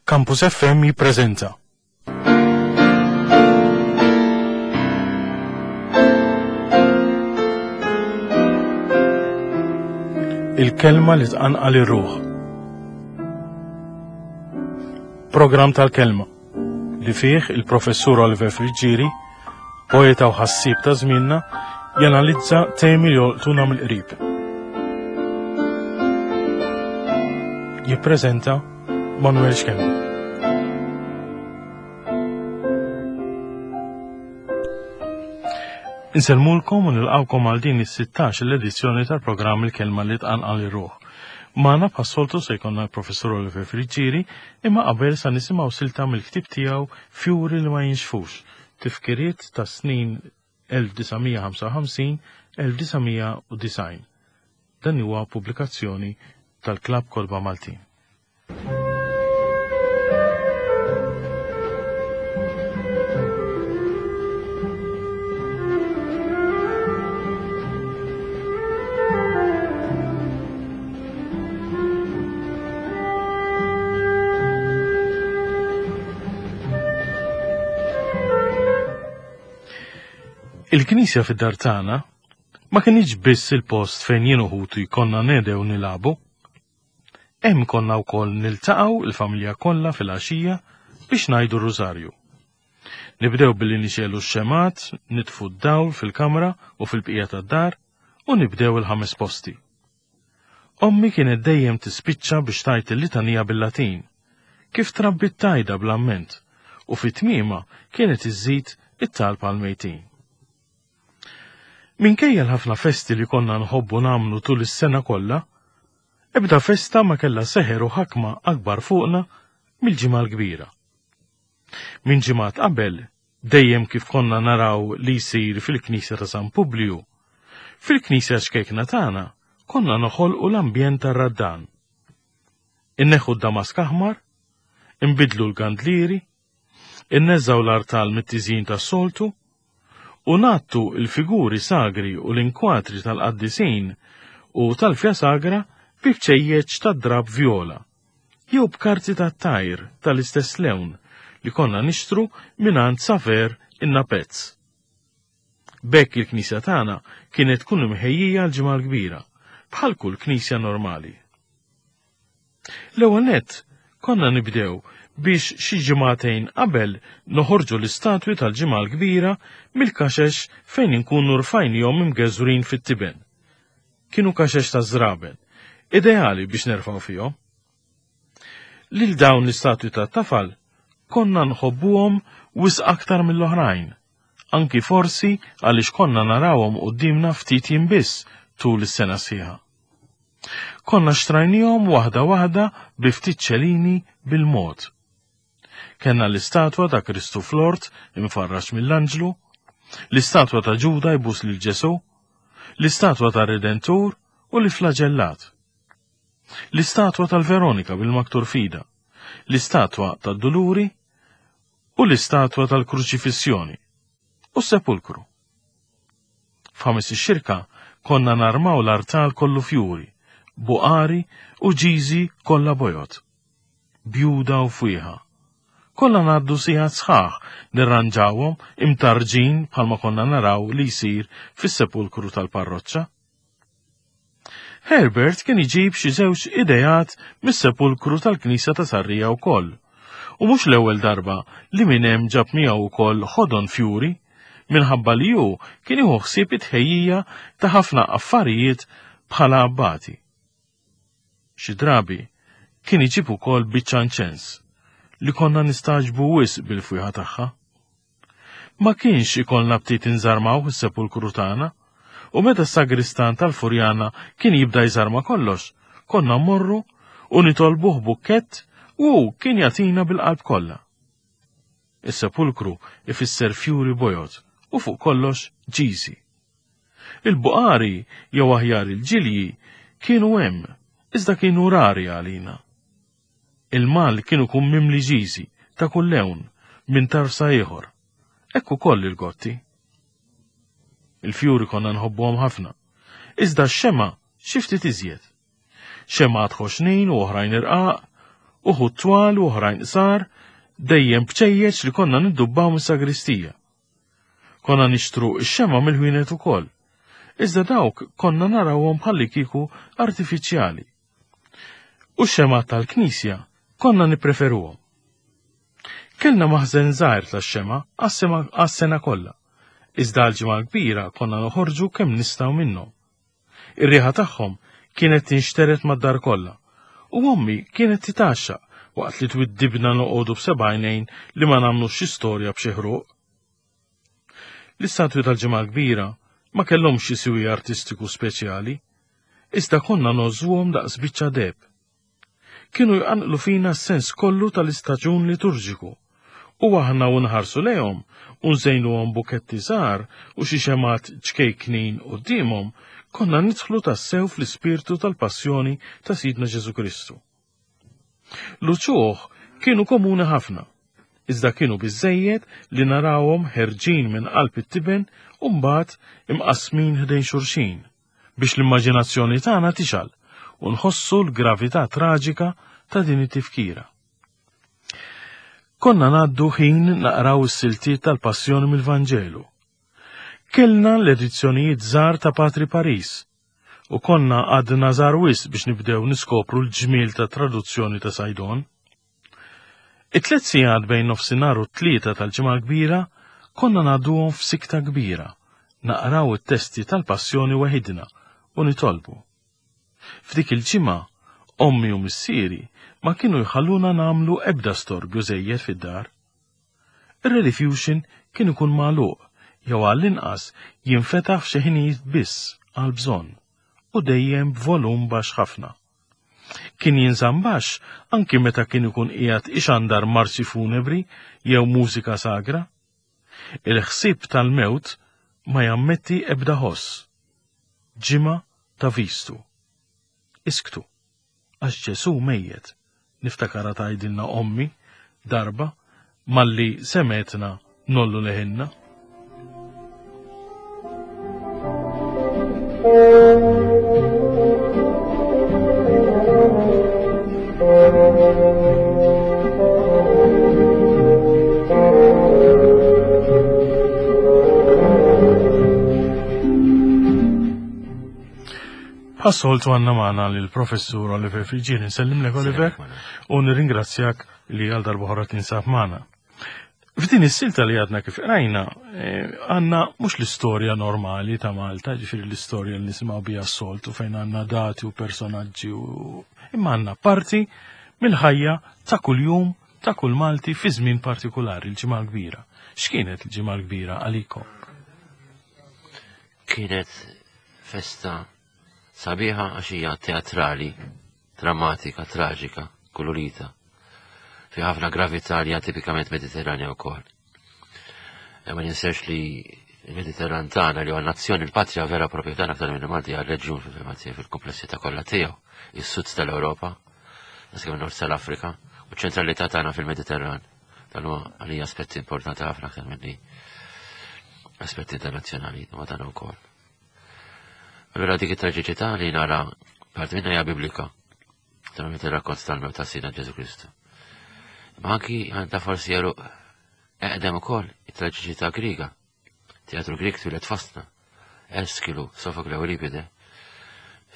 Campus FM jippreżenta. Il-kelma li tqanqal ir-ruħ. Programm tal-kelma li fih il-professur Oliver Friggieri, poeta u ħassieb ta' żmienna, janalizza temi li jolqtuna mill-qrib. Jippreżenta Manuel Schembri. Insellmulkom u nilqawkom għal din is-16 l-edizzjoni tal-programm Il-Kelma li tqanqal ir-ruħ. Magħna bħas-soltu se jkollna l-Professur Oliver Friggieri, imma qabel sa nisimgħu silta mill-ktieb tiegħu Fjuri li ma jinxfux, tifkiriet tas-snin 1955-1990. Dan huwa pubblikazzjoni tal-Klabb Kotba Maltin. Il-knisja fid-dar tagħna ma kinitx biss il-post fejn jien u ħuti konna nedew nilagħbu. Hemm konna wkoll niltaqgħu il-familja kollha fil-għaxija biex ngħidu r-rużarju. Nibdew billi nixegħlu x-xemgħat, nitfu d-dawl fil-kamra u fil-bqija tad-dar u nibdew il-ħames posti. Ommi kienet dejjem tispiċċa biex tgħid il-litanija bil-Latin, kif trabbiet tgħidha bl-amment, u fi tmiemha kienet iżżid it-talb għall-mejtin. Minkejja l-ħafna festi li konna nħobbu nagħmlu tul is-sena kollha, ebda festa ma kellha seħer u ħakma akbar fuqna mill-Ġimgħa l-Kbira. Minn ġimgħat qabel, dejjem kif konna naraw li jsir fil-Knisja ta' San Publiju, fil-Knisja ċkejkna tagħna konna noħolqu l-ambjent tar-Raddan. Inneħħu d-damask aħmar, inbiddlu l-gandlieri, inneżżgħu l-artal mit-tiżjin tas-soltu u ngħattu l-figuri sagri u l-inkwatri tal-qaddisin u tal-fja sagra bi bċejjeċ tad-drapp vjola jew b'karti tat-tajr tal-istess lewn li konna nixtru mingħand Saver in-Napezz. B'hekk il-knisja tagħna kienet tkun imħejjija għall-Ġimgħa l-Kbira, bħal kull knisja normali. L-ewwel nett konna nibdew biex xi ġimagħtejn qabel noħorġu l-istatwi tal-Ġimgħa l-Kbira mill-kaxex fejn inkunu rfajnihom imgeżwrin fit-tiben. Kienu kaxex taż-żraben, ideali biex nerfgħu fihom. Lil dawn l-istatwi tat-tafal konna nħobbuhom wisq aktar mill-oħrajn, anki forsi għaliex konna narawhom quddiemna ftit jiem biss tul is-sena sħiħa. Konna xtrajnihom waħda waħda bi ftit ċelini bil-mod. Kellna l-istatwa ta' Kristu fl-ort imfarraġ mill-anġlu, l-istatwa ta' Ġuda jbus lil Ġesù, l-istatwa tar-Redentur u l-iflaġellat. L-istatwa tal-Veronika bil-maktur fida, l-istatwa tad-Duluri u l-istatwa tal-Kruċifissjoni u s-sepulkru. F'ħames ix-xirka konna narmaw l-artal kollu fjuri, buqari u ġiżi kollha bojod. Bjuda u fwieħa. Kollha ngħaddu sigħat sħaħ nirranġawhom imtarrġin bħalma konna naraw li jsir fis-sepulkru tal-parroċċa. Herbert kien iġib xi żewġ ideat mis-sepulkru tal-knisja ta' Sarrija wkoll. U mhux l-ewwel darba li minn hemm ġab miegħu wkoll ħodon fjuri minħabba li hu kien jieħu ħsieb it-tħejjija ta' ħafna affarijiet bħala abbati. Xi drabi kien iġib ukoll biċċa inċens li konna nistagħġbu wisq bil-fwieħa tagħha. Ma kienx ikollna btit inżarmaw is-sepulkru tagħna, u meta s-sagristan tal-Furjana kien jibda jżarma kollox, konna mmorru u nitolbuh bukkett u hu kien jagħtina bil-qalb kollha. Is-sepulkru ifisser fjuri bojod u fuq kollox ġiżi. Il-buqari jew aħjar il-ġilji kienu hemm, iżda kienu rari għalina. Il-mal kien ikun mimli ġiżi ta' kull lewn minn tarf sa ieħor. Hekk ukoll il-gotti. Il-fjuri konna nħobbuhom ħafna. Iżda x-xemgħa xi ftit iżjed. Xemgħat ħoxnin u oħrajn irqaq. Uħud twal u oħrajn qsar, dejjem bċejjeċ li konna niddubbaw mis-sagristija. Konna nixtru x-xema mill-ħwienet ukoll. Iżda dawk konna narawhom bħalli kieku artifiċjali. U x-xemgħat tal-knisja konna nippreferuhom. Kellna maħżen żgħir tax-xema għas-sena kollha. Iżda għall-Ġimgħa l-Kbira konna noħorġu kemm nistgħu minnhom. Ir-riħa tagħhom kienet tinxtered mad-dar kollha, u ommi kienet titgħaxxaq waqt li twiddibna noqogħdu b'seba' għajnejn li ma nagħmlux xi storja b'xi ħruq. L-istatwi tal-Ġimgħa l-Kbira ma kellhomx xi siwi artistiku speċjali, iżda konna ngħożżuhom daqs biċċa deheb. Kienu jqanqlu fina s-sens kollu tal-istaġun liturġiku, u aħna u nħarsu lejhom u nżejnuhom buketti żgħar u xi xemgħat ċkejknin quddiemhom, konna nidħlu tassew fl-ispirtu tal-passjoni ta' Sidna Ġesù Kristu. L-uċuħ kienu komuni ħafna, iżda kienu biżżejjed li narawhom ħerġin minn qalb it-tiben u mbagħad imqassmin ħdejn xulxin biex l-immaġinazzjoni tagħna tixgħal u nħossu l-gravità traġika ta' din it-tifkira. Konna ngħaddu ħin naqraw is-siltiet tal-Passjoni mill-Vanġelu. Kellna l-edizzjonijiet żgħar ta' Patri Paris u konna għadna żgħar wisq biex nibdew niskopru l-ġmiel ta' traduzzjoni ta' Saydon. It-tliet sigħat bejn nofsinhar u t-tlieta tal-Ġimgħa l-Kbira konna ngħadduhom f'sikta kbira, naqraw it-testi tal-Passjoni weħidna u nitolbu. F'dik il-ġimgħa, ommi u missieri ma kienu jħalluna nagħmlu ebda storbju żejjed fid-dar. Ir-Rediffusion kien ikun magħluq jew għall-inqas jinfetaħ f'xi ħinijiet biss għall-bżonn u dejjem b'volum baxx ħafna. Kien jinżamm baxx anki meta kien ikun qiegħed ixandar marċi funebri jew mużika sagra. Il-ħsieb tal-mewt ma jammetti ebda ħoss. Ġimgħa ta' vistu. Isktu, għax Ġesù mejjet, niftakarha tgħidilna ommi darba malli semgħetna nollu leħinna. Bħas-soltu għandna magħna lill-Professur Oliver Friggieri. Nsellimlek Oliver u nirringrazzjak li għal darba oħra tinsab magħna. F'din is-silta li għadna kif qrajna, eh, għandna mhux l-istorja normali ta' Malta, ġifieri l-istorja li nisimgħu biha s-soltu fejn għandna dati u personaġġi u imma għandna parti mill-ħajja ta' kuljum ta' kull Malti fi żmien partikulari, l-Ġimgħa l-Kbira. X'kienet l-Ġimgħa l-Kbira għalikom? Kienet festa sabiħa għax hija teatrali, drammatika, traġika, kulurita. Fi ħafna gravità li hija tipikament Mediterranja wkoll. E ma ninsewx li il-Mediterran tagħna li huwa nazzjoni l-patrija vera propja tagħna aktar minn Malti hija reġjun fil-fema fil-komplessità kollha tiegħu, is-sud tal-Ewropa, kemm nord tal-Afrika, u ċ-ċentralità tagħna fil-Mediterran. Dan huwa għalija aspetti importanti ħafna aktar minni aspetti internazzjonali ma dan ukoll. Allura dik it-traġiċità li nara parti minna hija biblika. Naturalment ir-rakkont tal-mewt ta' Sidna Ġesu Kristu. Ma anki għandha forsi jeruq eqdem ukoll it-traġiċità Griega. Teatru Grieg twieled fostna. Eskilu, Sofokle u Euripide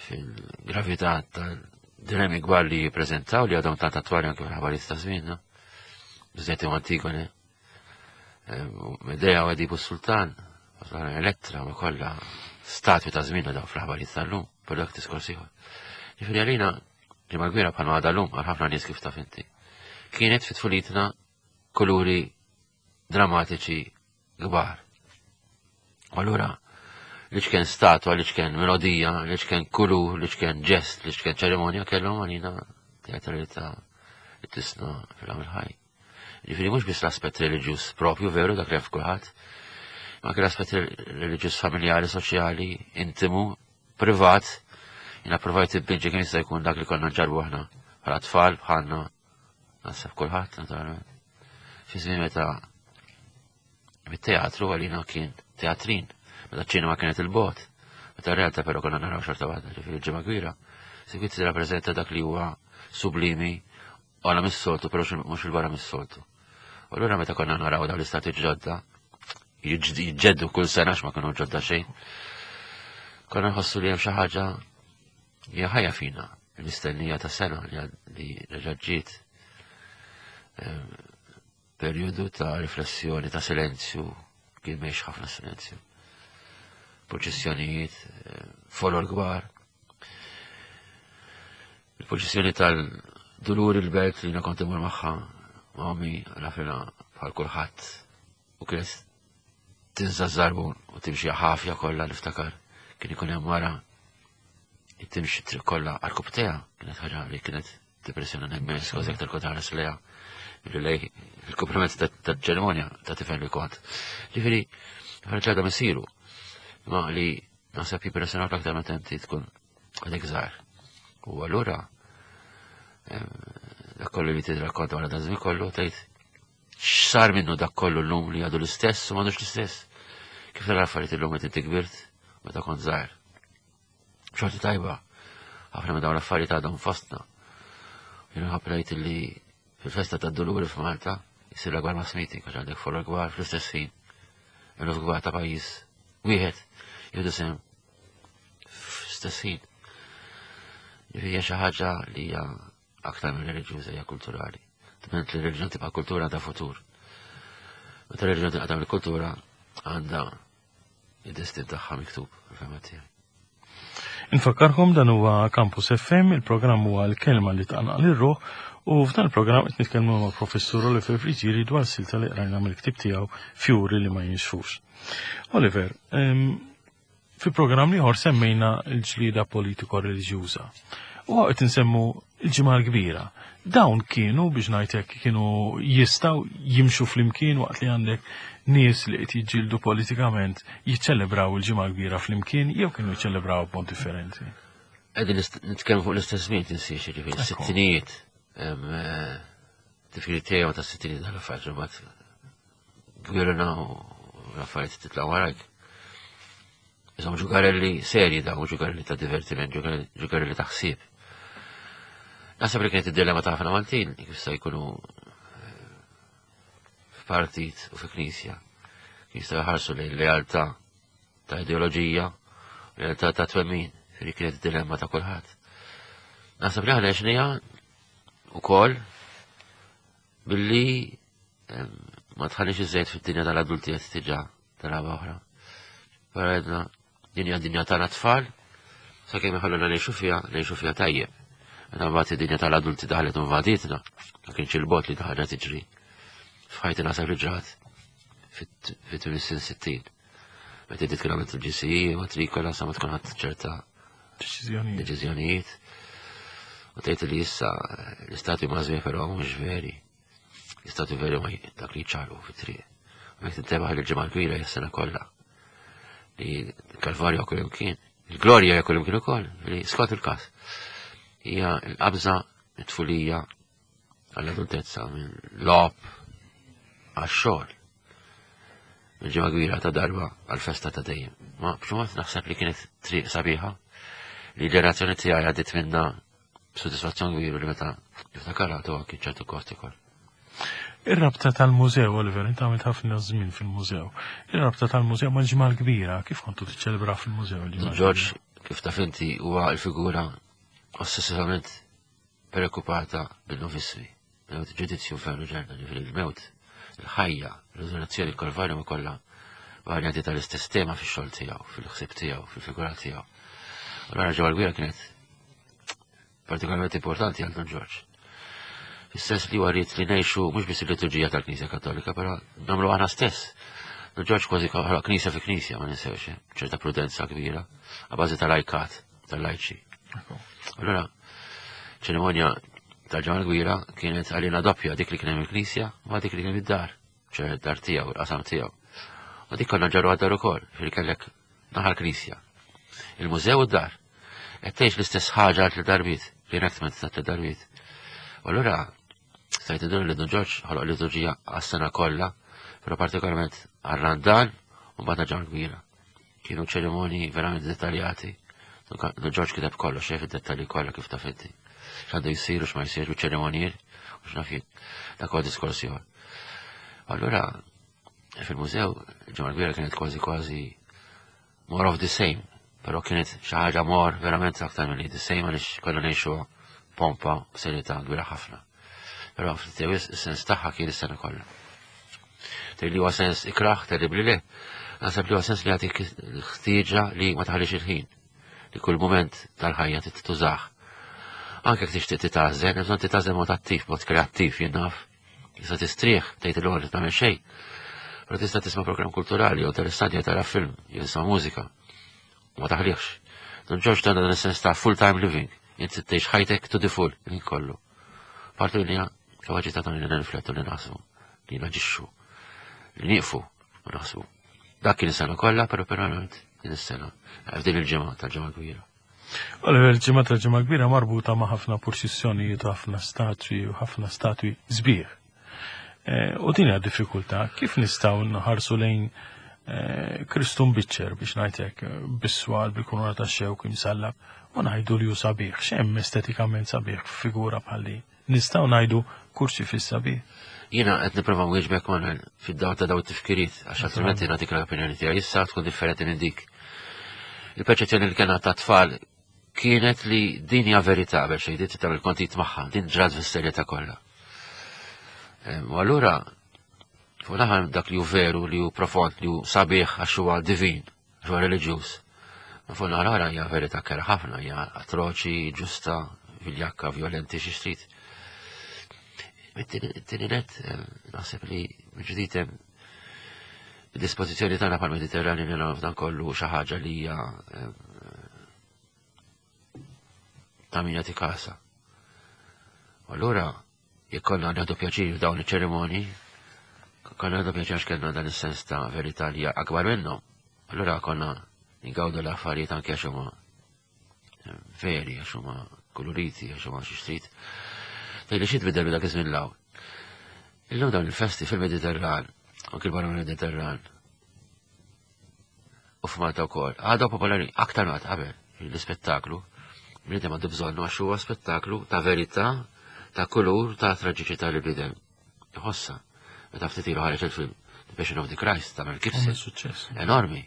fil-gravità tal-dilemmi kbar li jippreżentaw li għadhom tant attwali anke fil-ħabarijiet ta' żmienna. Biżżejjed u Antigone, Medea u Edipu Sultan, Elettra ma kollha statwi ta' żmienna daw fl-aħbarijiet tal-lum, per dak diskors ieħor. Ġifieri għalina ġimgħa kbira bħalma għadha llum għal ħafna nies kif taf inti. Kienet fi tfulitna kuluri drammatiċi kbar. U allura li x'kien statwa, li x'kien melodija, li x'kien kulur, li x'kien ġest, li x'kien ċerimonja kellhom għalina teatralità li tisna fil-għamil ħaj. Ġifieri mhux biss l-aspett reliġjuż propju veru dak li hemm f'kulħadd, ma anke l-aspett reliġjuż familjari, soċjali, intimu, privat. Jiena provajt inpinġi kemm jista' jkun dak li konna nġarbu aħna bħala tfal bħalna naħseb kulħadd naturalment. Fi żmien meta mit-teatru għalina kien teatrin, meta ċ-ċinema kienet il-bot, meta r-realtà però konna naraw xorta waħda, ġifieri ġimgħa kbira. Sikwit tirrappreżenta dak li huwa sublimi. Għala mis-soltu, però mhux il-barra mis-soltu. U allura meta konna naraw dawn l-istati ġodda, jiġġeddu kull sena ma kienu ġodda xejn. Konna nħossu li hemm xi ħaġa hija ħajja fina, l-istennija ta' sena li reġa' ġiet. Ehm, perjodu ta' riflessjoni, ta' silenzju, kien mhix ħafna silenzju. Proċessjonijiet, eh, folor kbar. Il-proċessjoni tal-dulur il-belt li kont imur magħha ma' ommi nafilha bħal kulħadd u kienet tinsa żarbun u timxi ħafja kollha niftakar kien ikun hemm wara timxi triq kollha għal-kubteja kienet ħaġa li kienet depressjoni immens kważi aktar kont ħares lejha milli lej il-kumpliment ta' ċerimonja ta' tifel li kont. Ġifieri, ħareġ għadha misiru. Ma li naħseb jimpressjonak aktar meta inti tkun għadek żgħar. U allura dak kollu li tidrakkonta wara dan żmien kollu tgħid x'sar minnu dak kollu llum li għadu l-istess u m'għadux l-istess. Kif tara affarijiet illum meta inti kbirt meta kont żgħar. Xorti tajba, ħafna minn dawn l-affarijiet għadhom fostna. Jien ħabrejt li fil-festa tad-Duluri f'Malta jsir l-akbar mass meeting għax għandek follower kbar fl-istess ħin. Eluf kbar ta' pajjiż wieħed jieħdu sehem fl-istess ħin. Hija xi ħaġa li hija aktar minn reliġjuża hija kulturali. Dment li reliġjon tibqa' kultura għandha futur. Meta reliġjon tinqata' mill-kultura għandha id-destin tagħha miktub, fil-fehma tiegħi. Infakkarkom dan huwa Campus FM, il-programm huwa l-kelma li tqanqal ir-ruħ u f'dan il-programm qed nitkellmu ma' Professur Oliver Friggieri dwar silta li qrajna mill-ktieb tiegħu Fjuri li ma jinxfux. Oliver, fi programm ieħor semmejna l-ġlieda politiko-reliġjuża. U qed insemmu l-ġimgħa l-kbira. Dawn kienu biex ngħid hekk kienu jistgħu jimxu flimkien waqt li għandek nies li qed jiġġieldu politikament jiċċelebraw il-ġimgħa l-kbira flimkien jew kienu jiċċelebraw b'mod differenti. Qegħdin nitkellmu fuq l-istess żmien tinsiex, jiġifieri sittinijiet. Eh, tifkir tiegħu ta' sittinijiet tal-affarijiet imbagħad gwirna u l-affarijiet titla' warajk. Insomma, ġugarelli serji da, ġugarelli ta' divertiment, ġugarelli ta' ħsieb. Naħseb li kienet id-dilemma ta' ħafna Maltin, kif se jkunu eh, f'partit u fi knisja. Jistgħu jħarsu lejn lealtà ta' ideoloġija, lealtà ta' twemmin, li kienet id-dilemma ta' kulħadd. Naħseb li aħna għexnija ukoll billi ma tħallix iżejt fid-dinja tal-adulti qed tiġa tal-għaba oħra. Però għedna din hija dinja tagħna tfal, sakemm iħalluna ngħixu fiha, ngħixu fiha tajjeb. Meta mbagħad id-dinja tal-adulti daħlet u invadietna, ma kienx il-bot li ħaġa tiġri. F'ħajti naħseb li ġrat fit-tmien sin 60. Meta inti tkun għamilt il-GCE, matrikola, sa ma tkun ħadd ċerta deċiżjonijiet. U tgħid li issa l-istati mażmi però mhux veri. L-istati veri ma dak li ċalu fit-triq. U jekk tintebaħ li l-ġimgħa kbira hija s-sena kollha. Li l-Kalvarju kull imkien, il-glorja hija kull imkien ukoll, li skont il-każ. Hija l-qabża it-tfulija għall-adultezza minn lob għax-xogħol. Minn ġimgħa kbira ta' darba għall-festa ta' dejjem. Ma b'xi naħseb li kienet triq sabiħa li ġenerazzjoni tiegħi għaddiet minna b'sodisfazzjon kbir li meta niftakarha tu anki ċertu kost ukoll. Ir-rabta tal-mużew, Oliver, inti għamilt ħafna żmien fil-mużew. Ir-rabta tal-mużew mal-ġimgħa l-kbira, kif kontu tiċċelebra fil-mużew il-ġimgħa? George, kif taf inti, huwa l-figura ossessivament preokkupata bil-novismi. Mewt ġudizzju infernu ġenna, ġifieri l-mewt, il-ħajja, il-riżurrezzjoni, il-Kalvarju ma kollha varjanti tal-istess tema fix-xogħol tiegħu, fil-ħsieb tiegħu, fil-figura tiegħu. U l ġewwa l-gwira kienet partikolarment importanti għal Don Ġorġ. Fis-sens li huwa rrid li ngħixu mhux biss il-liturġija tal-Knisja Kattolika, però nagħmlu aħna stess. Don Ġorġ kważi ħoloq knisja fi knisja, ma ninsewx, eh? ċerta prudenza kbira, a bażi tal-ajkat, tal-lajċi. Allora, ċerimonja tal-ġimgħa l-kbira kienet għalina doppja dik li kien hemm il-knisja ma dik li kien id-dar, ċe dar tiegħu, il-qasam tiegħu. U dik konna ġarru għad-dar ukoll, fil kellek naħa l-knisja. Il-mużew u d-dar. Qed tgħix l-istess ħaġa għal tliet darbiet, reenactment ta' tliet darbiet. U allura stajt indur li Dun Ġorġ ħoloq liturġija għas-sena kollha, però partikolarment għar-Randan u mbagħad ġimgħa kbira. Kienu ċerimonji verament dettaljati. Dun Ġorġ kiteb kollox, xejn fid-dettalji kollha kif taf inti. X'għandu jsir u x'ma jsirx u ċerimonjier. X'naf jien. Dak huwa diskors ieħor. Allura fil-mużew ġimgħa kbira kienet kważi kważi more of the same, però kienet xi ħaġa more verament aktar milli the same għaliex konna ngħixu pompa b'serjetà kbira ħafna. Però ftit is-sens tagħha kien is-sena kollha. Tgħid li huwa sens ikrah, terribli le. Naħseb li huwa sens li jagħtik ħtieġa li ma taħlix il-ħin, li kull mument tal-ħajja titużah. Anke jekk tixtieq titgħażel, hemm bżonn titgħażel mod attiv, mod kreattiv, jien naf. Tista' tistrieħ, tgħid il li tagħmel xejn. Però tista' tisma' programm kulturali jew interessanti jew tara film, jew tisma' mużika. U ma taħlihx. Don Ġorġ tagħna dan is-sens ta' full-time living. Inti tgħix ħajtek to the full, il kollu. Parti li hija kapaċità tagħna li nirriflettu li naħsbu, li naġixxu, li nieqfu u naħsbu. Dak kien is-sena kollha, però verament din is-sena, f'din il-ġimgħa tal-ġimgħa kbira. Oliver, il-ġimgħa tal-ġimgħa kbira marbuta ma' ħafna purċissjonijiet u ħafna statwi u ħafna statwi sbieħ. Eh, u din hija diffikultà, kif nistgħu nħarsu lejn eh, Kristu mbiċċer biex ngħidlek bis-swal bil-kunura tax-xewk imsallab u ngħidu li hu sabiħ, x'hemm estetikament sabiħ f'figura bħal din? Nistgħu ngħidu kurċifiss sabiħ? Jiena qed nipprova nwieġbek Manuel fid-dawl ta' daw it-tifkiriet għax altrimenti nagħtik l-opinjoni tiegħi issa tkun differenti minn dik. Il-perċezzjoni li kellna ta' tfal kienet li din hija verità qabel xejn din tagħmel kontit magħha, din ġrat fis-serjetà kollha. U allura fuq naħa dak li hu veru, li hu profond, li hu sabiħ għax huwa divin, għax huwa reliġjuż. Ma fuq naħa l-oħra hija verità kera ħafna, hija atroċi, ġusta, viljakka, violenti xi trid. It-tieni net naħseb li ġdid hemm dispożizzjoni tagħna bħal Mediterrani li nagħmlu f'dan kollu xi ħaġa li hija ta' min jagħti kasa. U allura jekk konna nieħdu pjaċir f'dawn iċ-ċerimonji, konna nieħdu pjaċir għax kellna dan is-sens ta' verità li hija akbar minnhom. Allura konna ngawdu l-affarijiet anke għax huma veri, għax huma koloriti, għax huma xi xtrid. Tgħidli xi tbiddel minn dak iż-żmien l-hawn. Illum dawn il-festi fil-Mediterran, anke barra mill-Mediterran, u f'Malta wkoll, għadhom popolari aktar minn qabel l-ispettaklu. Bniedem għandu bżonnu għax huwa spettaklu ta' verità, ta' kulur, ta' traġiċità li bniedem iħossha. Meta ftit ilu ħareġ il-film The Passion of the Christ ta' Mel Gibson. Suċċess. Enormi.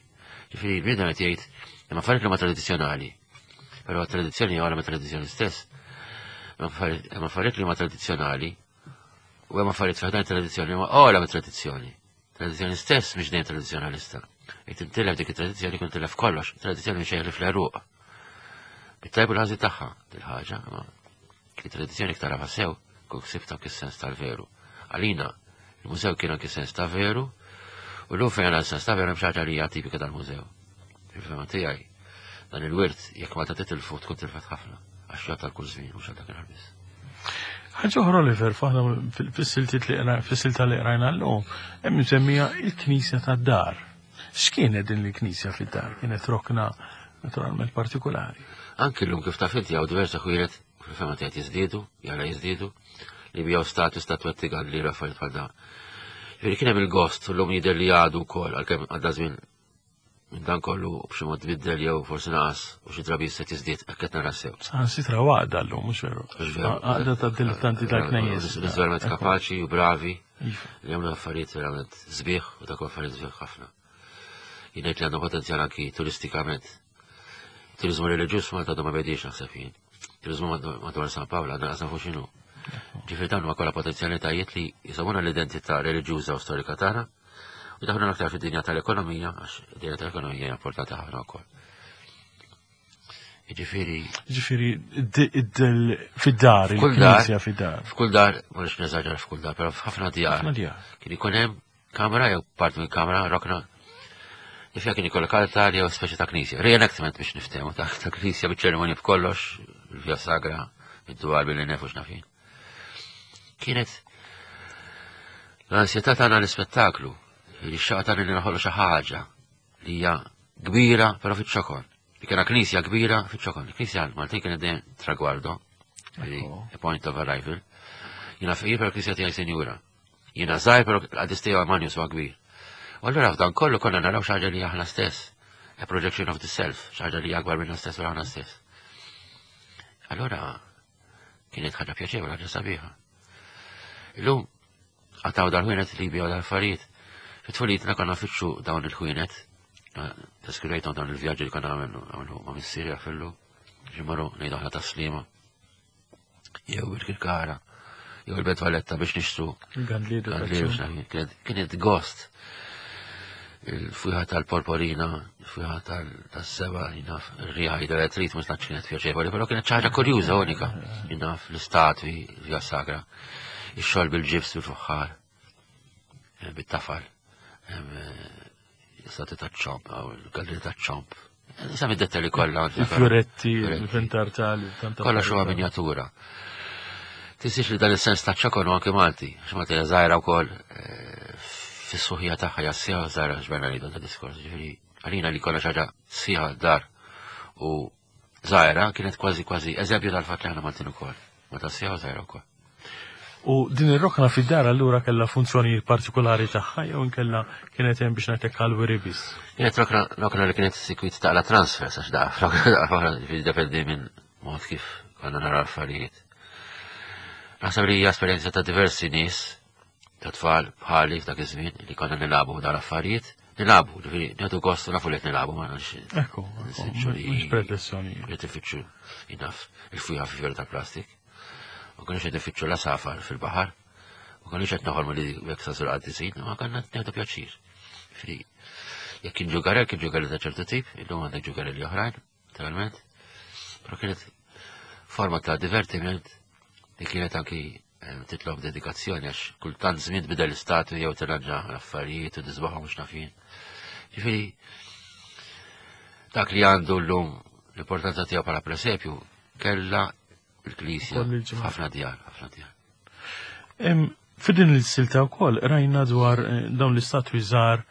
Ġifieri bniedem qed jgħid imma affarijiet li huma tradizzjonali. Però tradizzjoni hija ma tradizzjoni stess. Hemm affarijiet li huma tradizzjonali u hemm affarijiet f'ħdan tradizzjoni huma ogħla mit-tradizzjoni. Tradizzjoni stess mhix dejjem tradizzjonalista. Jekk tintilef dik it-tradizzjoni kun tilef kollox, tradizzjoni xejn li fl-eruq. Bit-tajb u l-ħażin tagħha dil-ħaġa, imma it-tradizzjoni iktar tara sew, kun ksibt anke sens tal-veru. Għalina, il-mużew kien anke sens ta' veru, u l-lum fejn għandna sens ta' veru hemm xi ħaġa li hija tipika tal-mużew. Il-fema tiegħi, dan il-wirt jekk ma ta' titilfu tkun tilfet ħafna, għax jgħod tal kull żmien mhux għal dak il-ħarbis. Ħaġa oħra Oliver, faħna fis-siltiet li fis-silta li qrajna llum, hemm msemmija il-Knisja tad-dar. X'kienet din il-Knisja fid-dar? Kienet rokna naturalment partikolari. Anki llum kif taf inti hawn diversi ħwienet fil-fema tiegħek jiżdiedu, jara jiżdiedu, li bijaw statu statwetti għal li affarijiet bħal dan. Ġifieri kien hemm il-gost llum jidher li għadu wkoll għalkemm għadda żmien minn dan kollu b'xi mod tbiddel jew forsi naqas u xi drabi jista' tiżdied hekk qed nara sew. Saħansitra għaqda llum mhux veru. Għaqda ta' dilettanti tal-knejjes. Nies verament kapaċi u bravi iva. li jagħmlu affarijiet verament sbieħ u dak affarijiet sbieħ ħafna. Jien ngħid li għandhom potenzjal anki turistikament. Turizmu reliġjuż Malta għadu ma bediex naħseb jien. Turizmu madwar San Pawl għadna qas nafu x'inhu. Ġifieri dawn huma kollha potenzjalitajiet li jisawuna l-identità reliġjuża u storika tagħna U daħlu aktar fid-dinja tal-ekonomija, għax id-dinja tal-ekonomija hija importanti ħafna wkoll. Jiġifieri. Jiġifieri fid-dar, il-knisja fid-dar. F'kull dar, ma nix neżaġer f'kull dar, però f'ħafna djar. Kien ikun hemm kamra jew part minn kamra, rokna, li fiha kien ikollok altar jew speċi ta' knisja. Reenactment biex niftehmu ta' knisja biċ-ċerimonji b'kollox, il-via sagra, id-dwar billi nefu x'nafin. Kienet l-ansjetà tagħna l-ispettaklu, li xaqa tagħna li naħolqu xi ħaġa li hija kbira però fiċ-ċokon. Li kena knisja kbira fiċ-ċokon. Il-knisja Maltin kienet dejjem tragwardo, a point of arrival. Jiena fqir però knisja tiegħi sinjura. Jiena żgħir però l-qadis tiegħu Amanius huwa kbir. U allura f'dan kollu konna naraw xi ħaġa li aħna stess, a projection of the self, xi ħaġa li akbar minna stess u aħna stess. Allura kienet ħaġa pjaċevoli, ħaġa sabiħa. Illum għataw dal-ħwienet li jbiegħu dal-affarijiet. Fit-tfulitna konna fitxu dawn il-ħwienet, deskrivejthom dawn il-vjaġġi li konna għamlu ma' missieri għafillu, ġimmaru ngħidu aħna taslima. Jew il-kirkara, jew il-Belt Valletta biex nixtru. Gandliru. Kienet gost. Il-fwiħa tal-porporina, il-fwiħa tal-seba, jinaf, il-riħa jidher trid mhux tantx kienet pjaċevoli, però kienet ċaġa kurjuża unika, jinaf l-istatwi, via sagra, ix-xogħol bil-ġibs bil-fuħħar, eh, bit-tafal, eh, Stati ta' ċomp, il-galleri ta' ċomp. Sami dettalji kollha. Il-fjuretti, il-ventartali. Kollha xuha minjatura. Tinsiex li dan is-sens ta' ċokon anke Malti, għax Malti hija żgħira wkoll eh, fis-suħija tagħha hija sieħa żgħira x'berna li dan diskors. Ġifieri għalina li kollha xi ħaġa sieħa dar u Żgħira kienet kważi kważi eżempju tal-fatt li aħna Maltin ukoll. Meta sieħa żgħira wkoll. U din ir-rokna fid-dar allura kellha funzjonijiet partikolari tagħha jew inkella kienet hemm biex ngħidlek għall-wiri biss? Kienet rokna rokna li kienet sikwit taqla transfer għax da rokna dependi minn mod kif konna nara affarijiet. Naħseb li hija esperjenza ta' diversi nies ta' tfal bħali f'dak iż-żmien li konna nilagħbu dawn l-affarijiet, nilagħbu, ġifieri nieħdu gost nafu li qed nilagħbu ma nafx. Ekku, mhux pretensjoni. Qed ifittxu jinaf il-fwieħa fi fjori ta' plastik. Ma konniex qed ifittxu la safar fil-baħar. Ma konniex qed noħolmu li jekk sa sur qaddisin, ma konna nieħdu pjaċir. Ġifieri jekk kien ġugarel, kien ġugarel ta' ċertu tip, illum għandek ġugarelli oħrajn, naturalment. Però kienet forma ta' divertiment li kienet anki Eh, titlob dedikazzjoni għax kultant żmien tbidel l-istatu jew tirranġa l-affarijiet u tisbaħhom mhux nafin. Ġifieri dak li għandu llum l-importanza tiegħu bħala presepju kellha l-Knisja ħafna djar, ħafna djar. F'din il-silta wkoll rajna dwar eh, dawn l-istatwi żgħar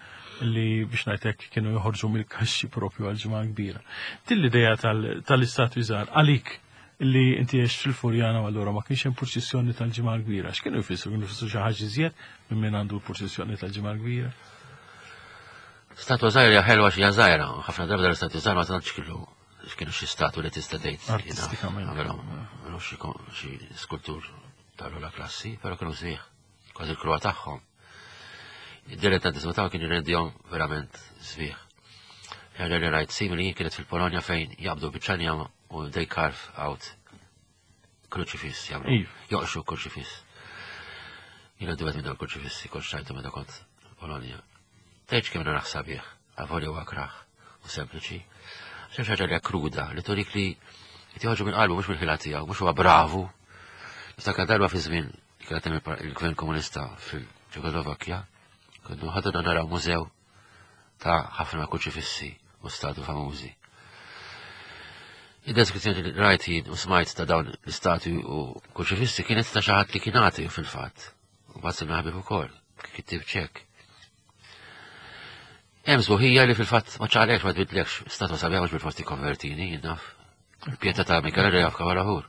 li biex ngħidlek kienu joħorġu mill-kaxxi propju għal ġimgħa kbira. Din l-idea tal-istatwi żgħar għalik li inti għext fil-Furjana u allura ma kienx hemm purċissjoni tal-Ġimgħa l-Kbira. X'kienu jfissru? Kienu jfissru xi ħaġa iżjed minn min għandu l-purċissjoni tal-Ġimgħa l-Kbira? Statwa żgħira hija ħelwa xi żgħira, ħafna drabi l-istatwi żgħar ma tantx kienu kienu xi statwi li tista' tgħid. Artistikament. Għamilhom xi skultur tal-ogħla klassi, però kienu sbieħ, kważi l-kruha tagħhom. Id-dilettantiżmu tagħhom kien jirrendihom verament sbieħ. Ħaġa li rajt simili kienet fil-Polonja fejn jaqbdu biċċa U they carve out kruċifiss jagħmlu. Iva. Joqxu kruċifiss. Jiena dwet minn dal kruċifissi kont xajtu meta kont Polonja. Tgħidx kemm naraħ sabiħ, avolja huwa kraħ u sempliċi. Xi ħaġa li kruda li turik li qed joħorġu minn qalbu mhux mill-ħila tiegħu, mhux huwa bravu. Niftakar darba fi żmien kienet hemm il-Gvern Komunista fil-Ċekoslovakkja, kontu ħadna naraw mużew ta' ħafna kuċifissi u statu famużi. Id-deskrizzjoni li rajt jien u smajt ta' dawn l-istati u kuċifissi kienet ta' xi ħadd li kien għati fil-fatt. U mbagħad sirna ħabib ukoll, kittib ċek. Hemm sbuħija li fil-fatt ma ċaqlekx ma tbidlekx, statwa sabiħa mhux bil-forsi konvertini, jien naf. Pieta ta' Michele jaf kavalahur.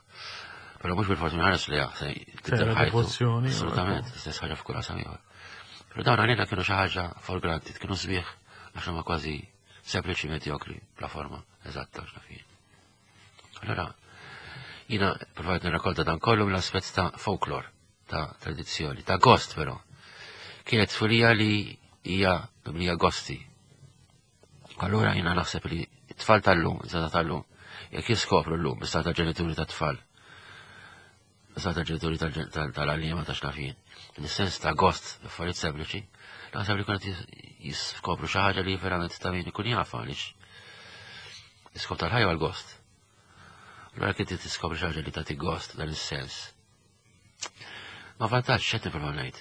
Però mhux bil-forsi nħares li se tibdel ħajtu. Assolutament, stess ħaġa f'kull qasam ieħor. Però dawn għalina kienu xi ħaġa for granted, kienu sbieħ għax huma kważi sempliċi medjokri bla forma eżatta x'naf jien. Allora, jiena provajt nirrakkolta dan kollu mill-aspett ta' folklore, ta' tradizzjoni, ta' gost però. Kienet tfulija li hija mimlija gosti, Allura jiena naħseb li t-tfal tal-lum, żgħażagħ tal-lum, jekk jiskopru llum l-istat tal-ġenituri tat-tfal, l-istat tal-ġenituri tal-għalliema ta' xnafin, nis-sens ta' gost affarijiet sempliċi, naħseb li kunet jiskopru xi ħaġa li verament ta' min ikun jafa għaliex l-iskop tal-ħajja għal-gost. Allura kien tiskopri xi ħaġa li tagħti gost dan is-sens. Ma vantaġġ x'qed nipprova ngħid.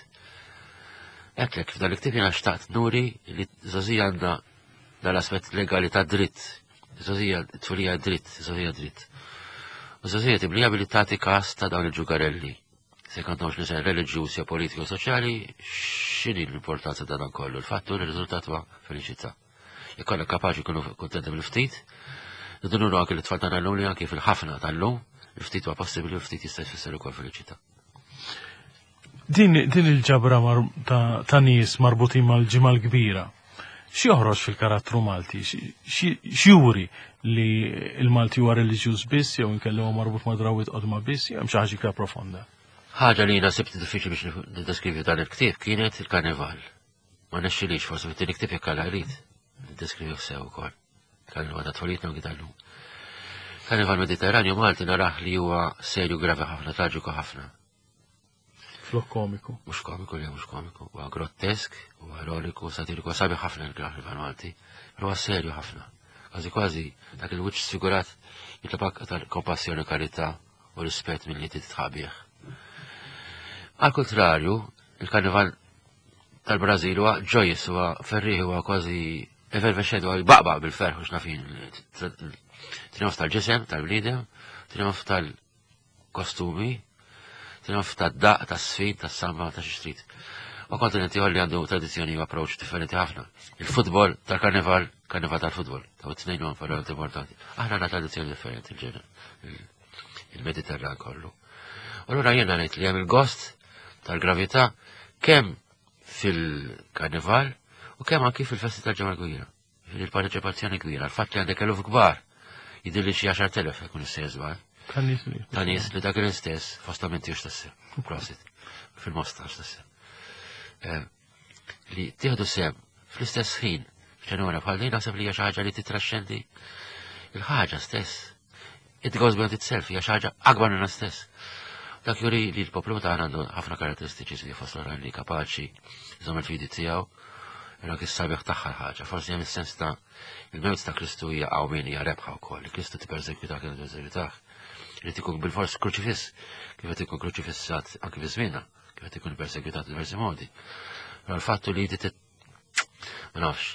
Għedtlek f'dan il-ktieb jiena xtaqt nuri li żgħożija għandha dal-aspett legali ta' dritt. Żgħożija tfulija dritt, żgħożija dritt. U żgħożija tiblija billi tagħti każ ta' dawn il-ġugarelli. Se kantawx li ser reliġjuż jew politiku soċjali, x'inhi l-importanza ta' dan kollu? Il-fattu li r-riżultat huwa feliċità. Jekk konna kapaċi nkunu kuntenti bil-ftit, rridu nuru anke l-tfal tagħna llum li anke fil-ħafna tal-lum, il-ftit huwa possibbli u ftit jista' jfisser ukoll feliċità. Din, din il-ġabra ta', ta nies marbutin mal-ġimgħa l-kbira, x'joħroġ fil-karattru Malti? X'juri li l-Malti huwa reliġjuż biss jew inkella huwa marbut ma' drawwiet qodma biss jew hemm xi ħaġa iktar profonda? Ħaġa li jiena sibt diffiċli biex niddeskrivi dan il-ktieb kienet il-karnival. Ma nexxilix forsi fit-tieni ktieb jekk Alla jrid niddeskrivi sew ukoll. Karnival ta' tfulitna u tal-lum. Karnival Mediterranju Malti narah li huwa serju gravi ħafna, traġiku ħafna. Flok komiku. Mhux komiku li mhux komiku, huwa grottesk, huwa ironiku, satiriku, sabi ħafna l-karnival Malti, però huwa serju ħafna. Kważi kważi dak il-wiċċ sfigurat jitlobok aktar kompassjoni u karità u rispett milli titħaq bih. Għal kontrarju, il-karnival tal-Brażil huwa ġojis, huwa ferrieħ, huwa kważi effervescent, huwa jbaqbaq bil-ferħ u xnafin. Trionf tal-ġisem, tal-bniedem, trionf tal-kostumi, trionf tad-daq, tas-sfid, tas-samba, ta' xi trid. U kontinenti li għandu tradizzjoni u approach differenti ħafna. Il-futbol tal-karnival, karnival tal-futbol, ta' t-tnejn huwa verament importanti. Aħna għandna tradizzjoni differenti il-ġena, il-Mediterran kollu. U allura jiena ngħid li hemm il-gost tal-gravità kemm fil-karnival u kemm anki fil-festi tal-ġemgħa kbira. Il-parteċipazzjoni kbira, il-fatt li għandek eluf kbar, jidhirli xi 10,000 jkun istess żball. Ta' nies li dak l-istess fostamenti u xtassi. Prosit. Fil-mosta xtassi. Eh, li tieħdu sem fl-istess ħin f'ċenura bħal din naħseb li hija xi ħaġa li titraxxendi il-ħaġa stess. It goes beyond itself, hija xi ħaġa akbar minna stess. Dak juri li l-poplu tagħna għandu ħafna karatteristiċi li fost oħrajn li kapaċi jżomm il-fidi tiegħu, imma kif sabiħ tagħha l-ħaġa. Forsi hemm is-sens ta' il-mewt ta' Kristu hija qawmien hija rebħa wkoll. Kristu tippersekwitah kien tippersekwitah. Irid ikun bil-fors kruċifiss, kif qed ikun kruċifissat anke fi żmienna, kif qed ikun persekwitat diversi modi. Però l-fattu li inti ma nafx,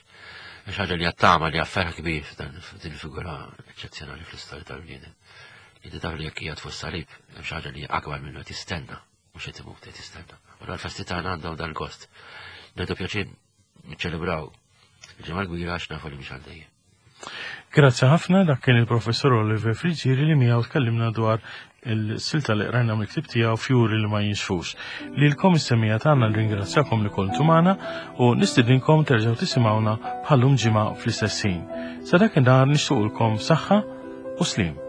xi ħaġa li għattama li għafferħ kbir f'dan din figura eċċezzjonali fl-istorja tal-bniedem. Li taf li jekk qiegħed fuq salib, hemm xi ħaġa li akbar minnu qed jistenna, mhux qed imut qed jistenna. U l-festi tagħna għandhom dal-gost. Nieħdu pjaċir niċċelebraw il-ġimgħa l-kbira għax nafu li mhix għal dejjem. Grazzi ħafna, dak kien il-professor Oliver Friggieri li miegħu tkellimna dwar il-silta li qrajna mill-ktib tiegħu Fjuri li ma jinxfux. Lilkom is-semija tagħna nringrazzjakom li kontu magħna u nistidinkom terġgħu tisimgħuna bħallum ġimgħa fl-istess ħin. Sa dak inhar nixtuqulkom saħħa u slim.